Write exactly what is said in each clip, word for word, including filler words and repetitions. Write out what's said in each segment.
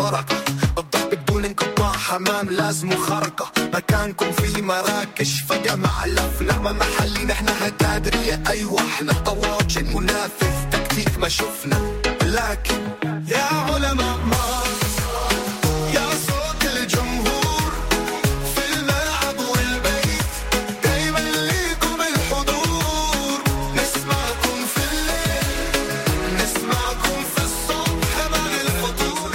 بركة، الضرب بدون انقطاع، حمام لازم خرقة، مكانكم في مراكش فجمع لفنا، ما محلي نحن هتادرية، أيوة احنا طواجن منافذ تكتيك ما شفنا، لكن يا علماء مارس يا صوت الجمهور في الملعب والبيت، دايما ليكم الحضور، نسمعكم في الليل نسمعكم في الصبح بعد الفطور.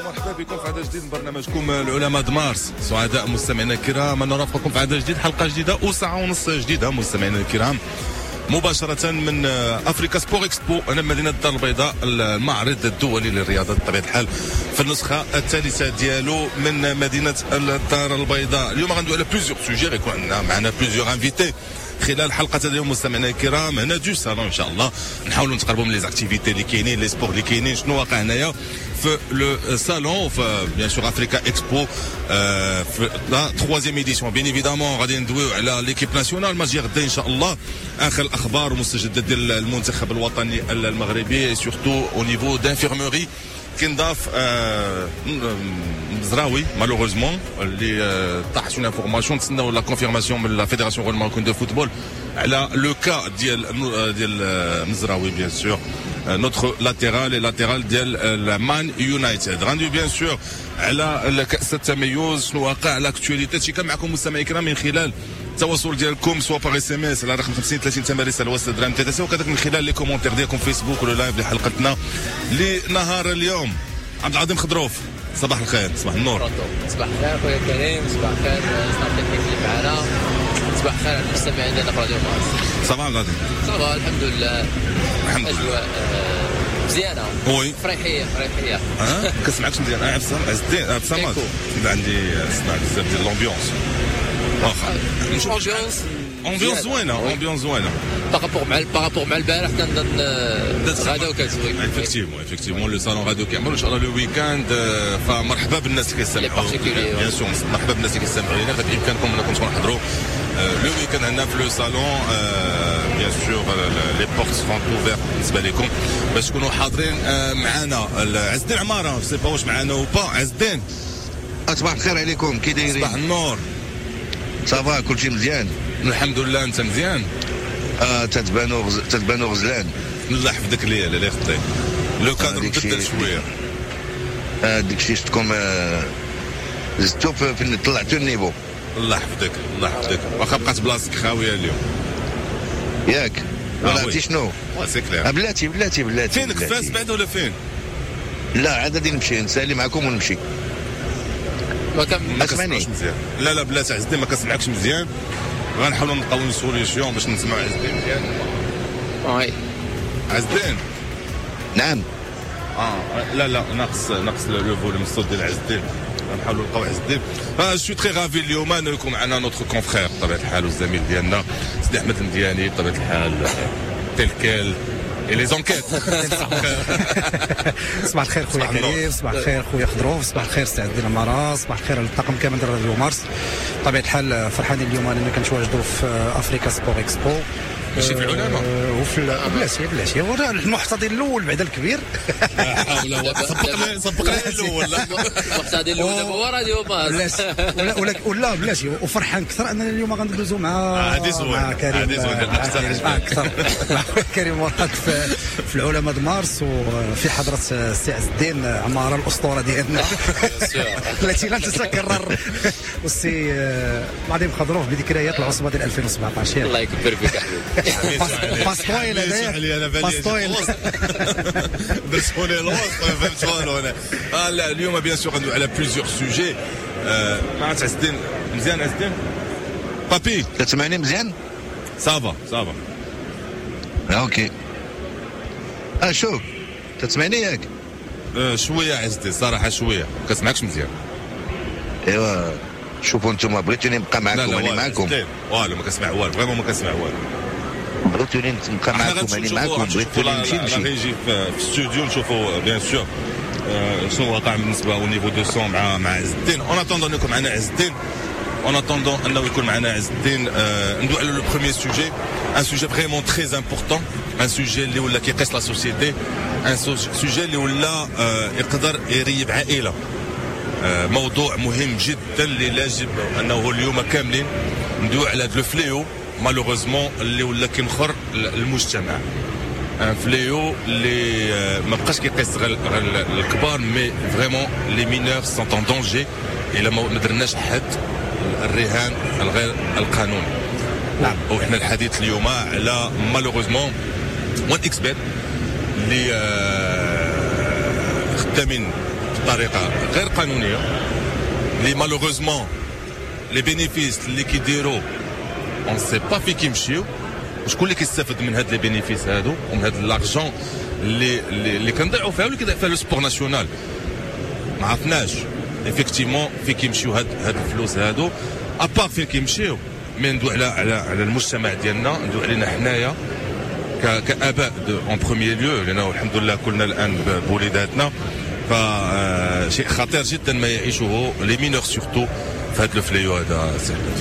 مرحبا بكم في عدد جديد من برنامجكم العلماء د مارس. سعداء مستمعينا الكرام ان نرافقكم في عدد جديد، حلقة جديدة وساعة ونص جديدة مستمعينا الكرام، مباشرة من Africa Sport Expo هنا مدينة الدار البيضاء، المعرض الدولي للرياضة بطبيعة الحال في النسخة الثالثة ديالو من مدينة الدار البيضاء. اليوم غندوي على plusieurs sujets، غيكون عندنا معنا plusieurs invités خلال حلقة اليوم مستمعينا الكرام هنا du salon. ان شاء الله نحاولوا نتقربوا من les activités اللي كاينين، les sports اللي كاينين، شنو واقع هنايا في le salon، في bien sûr Africa Expo في la troisième édition. bien évidemment غادي ندويو على l'équipe nationale ماتش غدا ان شاء الله، اخر الاخبار ومستجدات ديال المنتخب الوطني المغربي، surtout au niveau d'infirmerie كنضاف آه مزراوي malheureusement اللي آه طاحت une information، تسناو la confirmation من la fédération marocaine de football على le cas ديال ديال مزراوي، bien sûr notre latéral، latéral ديال مان يونايتد. غندوي bien sûr على كاس التميز، شنو واقع، l'actualité. هادشي كان معكم مستمعي الكرام من خلال التواصل ديالكم، soit par SMS على رقم خمسين ثلاثين ثمانية رسالة درهم ثلاثة، وكذلك من خلال les commentaires ديالكم في فيسبوك ولا live لحلقتنا لنهار اليوم. عبد العظيم خضروف، صباح الخير، صباح النور. صباح الخير خويا كريم، صباح الخير staff technique اللي معنا، صباح الخير على المستمعين ديالنا في راديو مارس. صباح العظيم. ça va الحمد لله. الحمد لله. اجواء آه، مزيانه. oui. فريحيه فريحيه. اه ما كنسمعكش مزيان. عبد الصمد، عز الدين عبد الصمد، عندي سمع بزاف ديال l'ambiance، واخا ambiance. ambiance زوينه، ambiance زوينه. par rapport مع par rapport مع البارح كنظن غادا وكتزوين. effectivement effectivement le salon غادي كيعمل ان شاء الله le week-end، فمرحبا بالناس اللي كيستمعوا، bien sûr مرحبا بالناس اللي كيستمعوا لينا. فبامكانكم انكم تكونوا حضروا le week-end عندنا في le salon، bien sûr les portes seront ouvertes بالنسبة لكم باش تكونوا حاضرين معنا. عز الدين عمارة sais pas واش معنا ou pas عز الدين؟ صباح الخير عليكم، كي دايرين؟ صباح النور. ça va، كلشي مزيان؟ الحمد لله، انت مزيان؟ اه تتبانو غز... تتبانو غزلان. الله يحفظك ليا، الله يخطيك، le cadre مبدل شويه. آه داكشي شفتكم آه زدتو في طلعتو ال niveau. الله يحفظك الله يحفظك، واخا بقات بلاصتك خاوية اليوم. ياك؟ ولا عرفتي شنو؟ c'est clair. بلاتي بلاتي بلاتي. فينك؟ فاس بعد ولا فين؟ لا، عاد غادي نمشي نسالي معكم ونمشي. ما كان ما كنسمعش مزيان. لا لا بلاتي عز الدين، ما كنسمعكش مزيان، غنحاولوا نلقاو une solution باش نسمعوا عز الدين مزيان. oui. عز الدين. نعم. اه لا لا، ناقص ناقص le volume الصوت ديال عز الدين، نحاولوا نلقاو عز الدين. je suis très ravi اليوم انه يكون معنا notre confrère بطبيعة الحال والزميل ديالنا سيدي احمد المدياني، بطبيعة الحال tel quel et les enquêtes. صباح الخير خويا كريم، صباح الخير خويا خضروف، صباح الخير سي عز الدين عمارة، صباح الخير على الطاقم كامل ديال راديو مارس. بطبيعة الحال فرحانين اليوم اننا كنتواجدوا في Africa Sport Expo. ماشي في العلماء. وفي بلاتي بلاتي، هو المحتضن الاول بعدا الكبير. لا حول ولا سبقني سبقني الاول. المحتضن الاول دابا هو راديو مارس. ولا ولا ولا بلاتي، وفرحان اكثر اننا اليوم غندوزو مع مع كريم مع اكثر مع كريم مراد في, في العلماء مارس وفي حضره السي عز الدين عمارة الاسطورة ديالنا التي لن تتكرر، والسي العظيم خضروف بذكريات العصبة ديال ألفين وسبعطاش. الله يكبر فيك حبيبي. باستويل هذايا باستويل. درتوني الوسط، ما فهمت والو انا. آه لا، اليوم bien sûr غندوي على plusieurs sujets مع عز الدين. مزيان عز الدين بابي؟ كتسمعني مزيان؟ ça va ça va. OK، اه شوف، تسمعني ياك؟ آه شوية عز الدين، صراحة شويه، ما كنسمعكش مزيان. ايوا شوفوا انتم، بغيتوني نبقى معكم انا معكم. والو، ما كنسمع والو، vraiment ما كنسمع والو. بغيتوني نبقى معكم انا معكم، بغيتوني نمشي نمشي. régie في الاستوديو نشوفوا bien sûr شنو واقع بالنسبة au niveau du son مع مع عز الدين. en attendant يكون معنا عز الدين. en attendant انه يكون معنا عز الدين، ندوي على le premier sujet، un sujet vraiment très important، un sujet اللي ولا كيقيس la société، un sujet اللي ولا يقدر يريب عائلة. موضوع مهم جدا اللي يجب انه اليوم كاملين ندوي على هذا le fléau malheureusement اللي ولا كينخر المجتمع. un fléau اللي ما بقاش كيقيس غير الكبار، mais vraiment les mineurs sont en danger الا ما درناش حد الرهان الغير القانوني. نعم. وحنا الحديث اليوم على malheureusement وان اكس بيت اللي خدامين بطريقة غير قانونية، اللي malheureusement les bénéfices اللي كيديروا on sait pas فين كيمشيو، وشكون اللي كيستافد من هاد les bénéfices هادو ومن هاد l'argent اللي اللي كنضيعوا فيها واللي كيضيع فيها le sport national. ما عرفناش effectivement فين كيمشيو هاد هاد الفلوس هادو، à part فين كيمشيو. mais ندوي على على على المجتمع ديالنا، ندوي علينا حنايا كاباء en premier lieu، لانه الحمد لله كلنا الان بوليداتنا. فشيء خطير جدا ما يعيشه les mineurs surtout في هذا ال fléau هذا.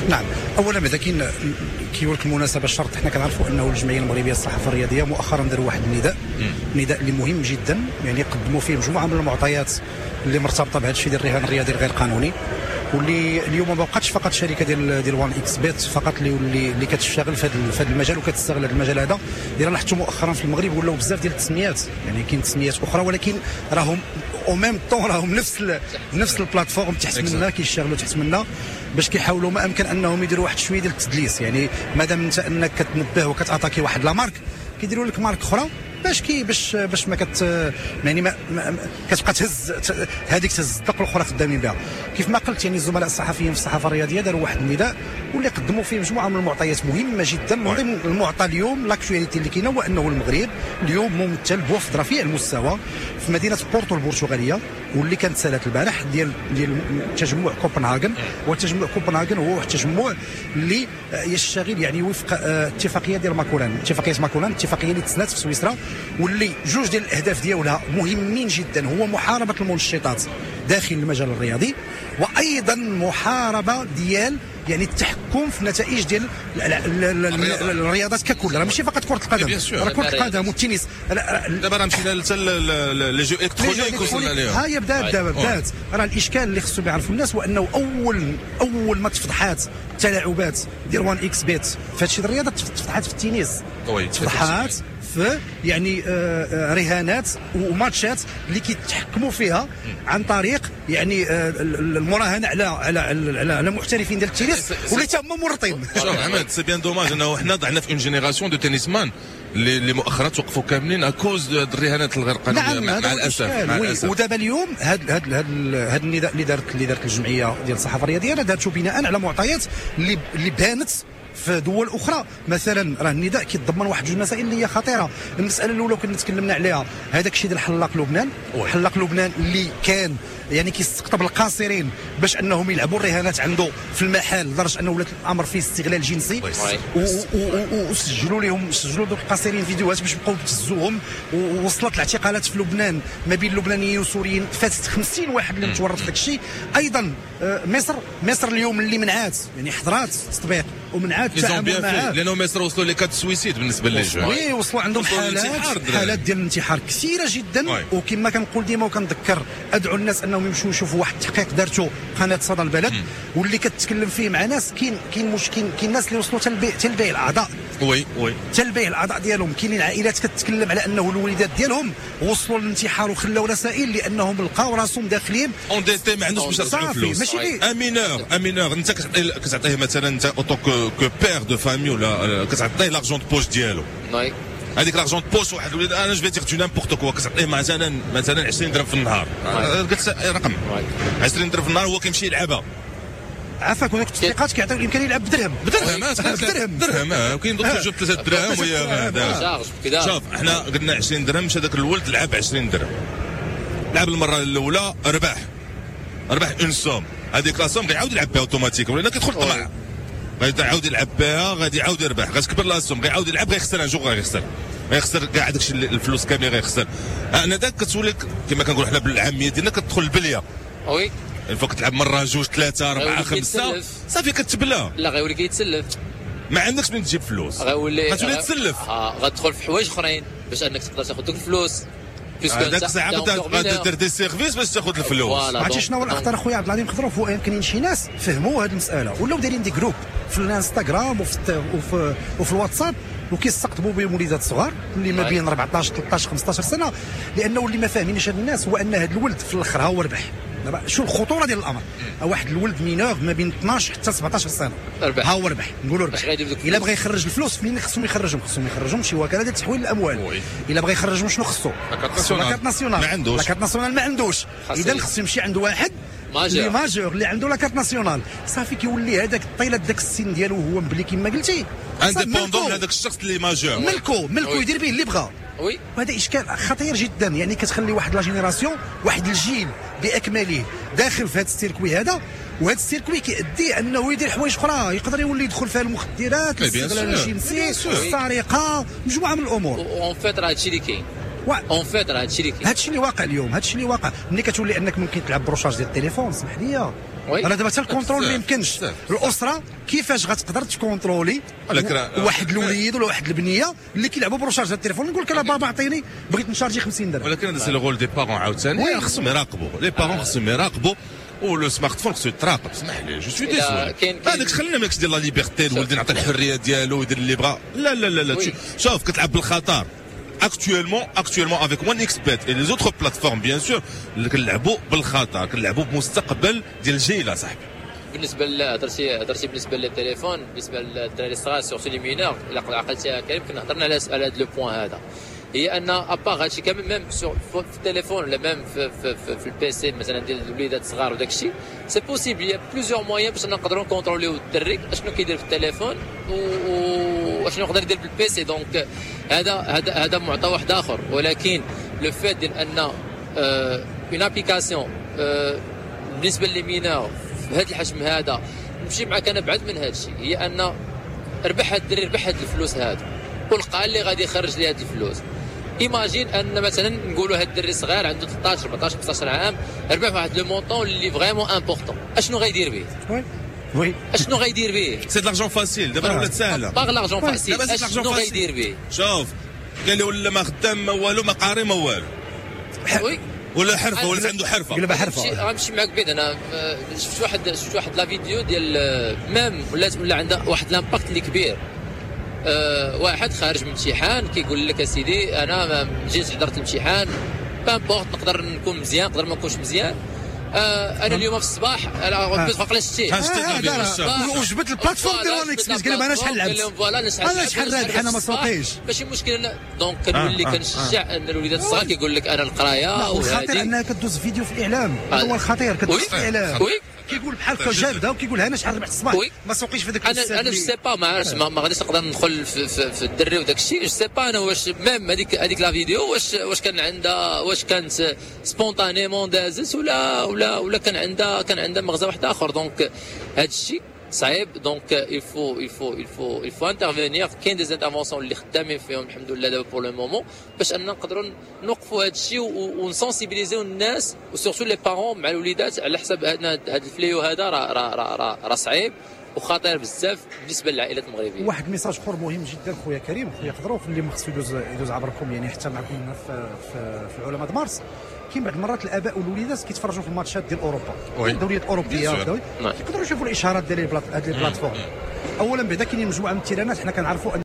نعم، اولا بعدا كاين كيقول لك المناسبة الشرط، حنا كنعرفوا انه الجمعية المغربية للصحافة الرياضية مؤخرا داروا واحد النداء، نداء اللي مهم جدا، يعني قدموا فيه مجموعة من المعطيات اللي مرتبطة بهذا الشيء ديال الرهان الرياضي الغير قانوني، واللي اليوم ما بقاتش فقط شركة ديال ديال وان اكس بيت فقط اللي اللي كتشتغل في هذا المجال وكتستغل هذا المجال هذا. الا لاحظتوا مؤخرا في المغرب ولاو بزاف ديال التسميات، يعني كاين تسميات اخرى ولكن راهم au même temps راهم نفس ال نفس ال plateforme تحت منا، كيشتغلوا تحت منا باش كيحاولوا ما امكن انهم يديروا واحد شوية ديال التدليس. يعني مادام انت انك كتنبه وكت attaquer واحد la marque، كيديروا لك marque اخرى باش كي باش باش ما كت يعني ما, ما كتبقى تهز هذيك تهز الدق الاخرى خدامين بها. كيف ما قلت يعني الزملاء الصحفيين في الصحافة الرياضية داروا واحد النداء واللي قدموا فيه مجموعة من المعطيات مهمة جدا. من ضمن المعطى اليوم l'actualité اللي كاينه هو انه المغرب اليوم ممثل بوفد رفيع المستوى في مدينة بورتو البرتغالية، واللي كانت سالات البارح ديال ديال تجمع كوبنهاغن. وتجمع كوبنهاغن هو واحد التجمع اللي يشتغل يعني وفق اتفاقية ديال ماكولان، اتفاقية ماكولان، اتفاقية اللي تسنات في سويسرا، واللي جوج ديال الاهداف ديالها مهمين جدا، هو محاربة المنشطات داخل المجال الرياضي، وايضا محاربة ديال يعني التحكم في النتائج ديال الرياضات ككل. راه ماشي فقط كره القدم، راه كره القدم والتنس. دابا راه مشينا حتى les jeux électroniques وصلنا ليهم. ها هي بدات دابا بدات. راه الاشكال اللي خصهم يعرفوا الناس هو انه اول اول ما تفضحات التلاعبات ديال وان اكس بيت في هادشي الرياضة، تفضحات في التنس، تفضحات في يعني رهانات وماتشات اللي كيتحكموا فيها عن طريق يعني المراهنة على على على, على محترفين ديال التنس واللي تما مورطين. شوف عماد، c'est bien dommage انه حنا ضعنا في une génération de tennisman اللي مؤخرا توقفوا كاملين à cause الرهانات الغير قانونية. نعم، مع الاسف مع الاسف. ودابا اليوم هذا هذا هذا النداء اللي دارت اللي دارت الجمعية ديال الصحافة الرياضية دارته بناء على معطيات اللي اللي بانت في دول اخرى. مثلا راه النداء كيتضمن واحد جوج مسائل اللي هي خطيرة. المسالة الاولى كنا تكلمنا عليها، هذاك الشيء ديال حلاق لبنان، حلاق لبنان اللي كان يعني كيستقطب القاصرين باش انهم يلعبوا الرهانات عنده في المحل، لدرجة انه ولات الامر فيه استغلال جنسي، وسجلوا لهم سجلوا دوك القاصرين فيديوهات باش يبقاو يبتزوهم. ووصلت الاعتقالات في لبنان ما بين اللبنانيين والسوريين فاتت خمسين واحد اللي متورط في داك الشيء. ايضا مصر مصر اليوم اللي منعات يعني حضرات التطبيق ومنعات التعامل معاه، لانه مصر وصلوا les cas de suicide بالنسبة les jeunes. oui وصلوا عندهم حالات حالات ديال الانتحار كثيرة جدا. وكما كنقول ديما وكنذكر ادعو الناس انهم يمشوا يشوفوا واحد التحقيق دارته قناة صدى البلد واللي كتكلم فيه مع ناس. كاين كاين مشكل، كاين ناس اللي وصلوا حتى لبيع الاعضاء. oui oui حتى لبيع الاعضاء ديالهم. كاينين عائلات كتكلم على انه الوليدات ديالهم وصلوا للانتحار وخلاو رسائل لانهم لقاو راسهم داخلين endettés، ما عندوش باش يرجعوا فلوس. ماشي un mineur un mineur انت كتعطيه مثلا انت en tant que père de famille ولا كتعطيه l'argent de poche ديالو. هذيك l'argent de poche واحد الوليد انا je vais dire du n'importe quoi كتعطيه مثلا مثلا عشرين درهم في النهار، قلت رقم عشرين درهم في النهار هو كيمشي يلعبها. عافاك هناك التطبيقات كيعطيو الامكانية يلعب بدرهم بدرهم بدرهم درهم، وكاين دوك جوج ثلاثة دراهم وهي شوف حنا قلنا عشرين درهم، مشى داك الولد لعب عشرين درهم، لعب المرة الاولى ربح ربح une somme، هذيك la somme غيعاود يلعب بها automatiquement لان كيدخل طمع، غادي يعاود يلعب بها غادي يعاود يربح، غتكبر la somme غيعاود يلعب غيخسر un jour غيخسر غيخسر كاع داكشي الفلوس كاملين غيخسر. انا داك كتولي كما كنقولوا حنا بالعامية ديالنا كتدخل البلية. oui une fois كتلعب مرة، جوج، ثلاثه، اربعه، خمسه، صافي كتبلى. لا، غيولي كيتسلف. ما عندكش من تجيب فلوس. غيولي غتولي تسلف. آه، غتدخل في حوايج اخرين باش انك تقدر تاخذ دوك الفلوس. هذاك الساعة غادي دير des services باش تاخذ الفلوس. عرفتي شنو هو الاخطر اخويا عبد العظيم خضروف؟ هو كاينين شي ناس فهموا هذه المسالة، ولاو دايرين des groupes في الانستغرام وفي وفي, وفي الواتساب، وكيستقطبوا بهم وليدات صغار اللي ما بين أربعطاش، ثلاثطاش، خمسطاش سنه، لانه اللي ما فاهمينش هاد الناس هو ان هذا الولد في الاخر ها هو ربح. دابا شو الخطورة ديال الامر؟ واحد الولد mineur ما بين اثناش حتى سبعطاش سنه، ها هو ربح، نقولوا ربح، الا بغى يخرج الفلوس فين خصهم يخرجهم؟ خصهم يخرجهم شي وكالة ديال تحويل الاموال. الا بغى يخرجهم شنو خصو؟ la carte nationale. ما عندوش la carte nationale، ما عندوش. اذا خصو يمشي عند واحد اللي majeur، اللي عنده la carte nationale. صافي كيولي هذاك طيلة داك السن ديالو هو مبلي كما قلتي indépendant من هذاك الشخص اللي majeur. ملكو ملكو يدير به اللي بغى. oui، وهذا اشكال خطير جدا، يعني كتخلي واحد la génération، واحد الجيل باكمله داخل في هذا ال circuit هذا، وهذا ال circuit كيؤدي انه يدير حوايج اخرى، يقدر يولي يدخل فيها المخدرات، الاستغلال الجنسي، السرقه، مجموعة من الامور. en fait راه هادشي اللي كاين، en fait راه هادشي اللي كاين، هادشي اللي واقع اليوم، هادشي اللي واقع. ملي كتولي انك ممكن تلعب ب recharge ديال التليفون، سمح لي، انا دابا حتى ال contrôle ما يمكنش. الاسرة كيفاش غتقدر ت contrôler واحد الوليد ولا واحد البنية اللي كيلعبوا ب recharge ديال التليفون؟ نقول لك انا بابا عطيني بغيت نشارجي خمسين درهم. ولكن هذا c'est le rôle des parents عاوتاني، خصهم يراقبوا les parents، خصهم يراقبوا، و le smartphone خصو يتراقب. اسمح لي، je suis désolé، هذاك خلينا ماكش ديال la liberté، الولد نعطي الحرية ديالو يدير اللي بغا. لا لا لا لا، شوف كتلعب بالخطر actuellement actuellement avec OneXBet et les autres plateformes bien sûr، كنلعبوا بالخطر، كنلعبوا بمستقبل ديال الجيل صاحبي. بالنسبة هضرتي هضرتي بالنسبة للتليفون، بالنسبة للدراري الصغار surtout les mineurs، الا عقلتي كريم كنا هضرنا على على هذا le point هذا، هي ان à part هادشي كامل même في التليفون ولا même في, في, في, في ال PC مثلا ديال الوليدات الصغار وداك الشيء، c'est possible، y a plusieurs moyens باش نقدروا نكونتروليو الدري اشنو كيدير في التليفون واشنو يقدر يدير بال PC. donc هذا هذا هذا معطى واحد اخر، ولكن le fait ديال ان une application بالنسبة les mineurs في هذا الحجم هذا، نمشي معاك انا بعد من هذا الشيء، هي ان ربح هاد الدري، ربح هاد الفلوس هادو ولقى اللي غادي يخرج لي هاد الفلوس. imagine ان مثلا نقولوا هاد الدري صغير عنده ثلاثطاش، أربعطاش، خمسطاش عام، ربح واحد le montant اللي vraiment important، اشنو غيدير به؟ oui oui اشنو غيدير به؟ c'est l'argent facile دابا ولات ساهله. par l'argent facile اشنو غيدير به؟ شوف قال لي ولا ما خدام ما والو، ما قاري ما والو، oui ولا حرفه، ولا عنده حرفه. قلبها حرفه. غنمشي معاك بعيد، انا شفت واحد شفت واحد la vidéo ديال même ولات ولا عندها واحد l'impact اللي كبير. أه واحد خارج من امتحان كيقول لك اسيدي انا جيت حضرت الامتحان، peu importe نقدر نكون مزيان نقدر ما نكونش مزيان، آه انا اليوم في الصباح انا شتي وجبت ال plateforme ديال OneXBet، قال لهم انا شحال لعبت، انا شحال رابح، انا ما سوقيش، ماشي مشكل. donc كنولي كنشجع ان الوليدات الصغار كيقول لك انا القراية. والخطير انها كدوز فيديو في الاعلام، هذا هو الخطير، كدوز في الاعلام كيقول بحال هكا جابده وكيقول انا شحال ربحت الصباح، ما سوقيش في ذاك. انا انا je sais pas، ما عرفتش، ما غاديش نقدر ندخل في, في, في الدري وداك الشيء، je sais pas انا واش même هذيك هذيك la vidéo واش واش كان عندها، واش كانت spontanément دازت ولا ولا ولا كان عندها كان عندها مغزى واحد اخر. donc هذا الشيء صعيب، donc il faut il faut il faut il faut intervenir. كاين des interventions اللي خدامين فيهم الحمد لله دابا pour le moment باش اننا نقدروا نوقفوا هذا الشيء ونسونسيبيليزيو الناس و surtout les parents مع الوليدات على حساب هذا ال fléau هذا راه راه راه راه صعيب وخطير بزاف بالنسبة للعائلات المغربية. واحد message اخر مهم جدا خويا كريم، خويا خضروف، اللي ما خصو يدوز يدوز عبركم، يعني حتى معكم في في, في علماء مارس، كاين بعض المرات الاباء والوليدات كيتفرجوا في الماتشات ديال اوروبا، الدوريات الاوروبية، يقدروا يشوفوا الاشهارات ديال هاد les plateformes. اولا بعدا كاينين مجموعة من التيرانات حنا كنعرفوا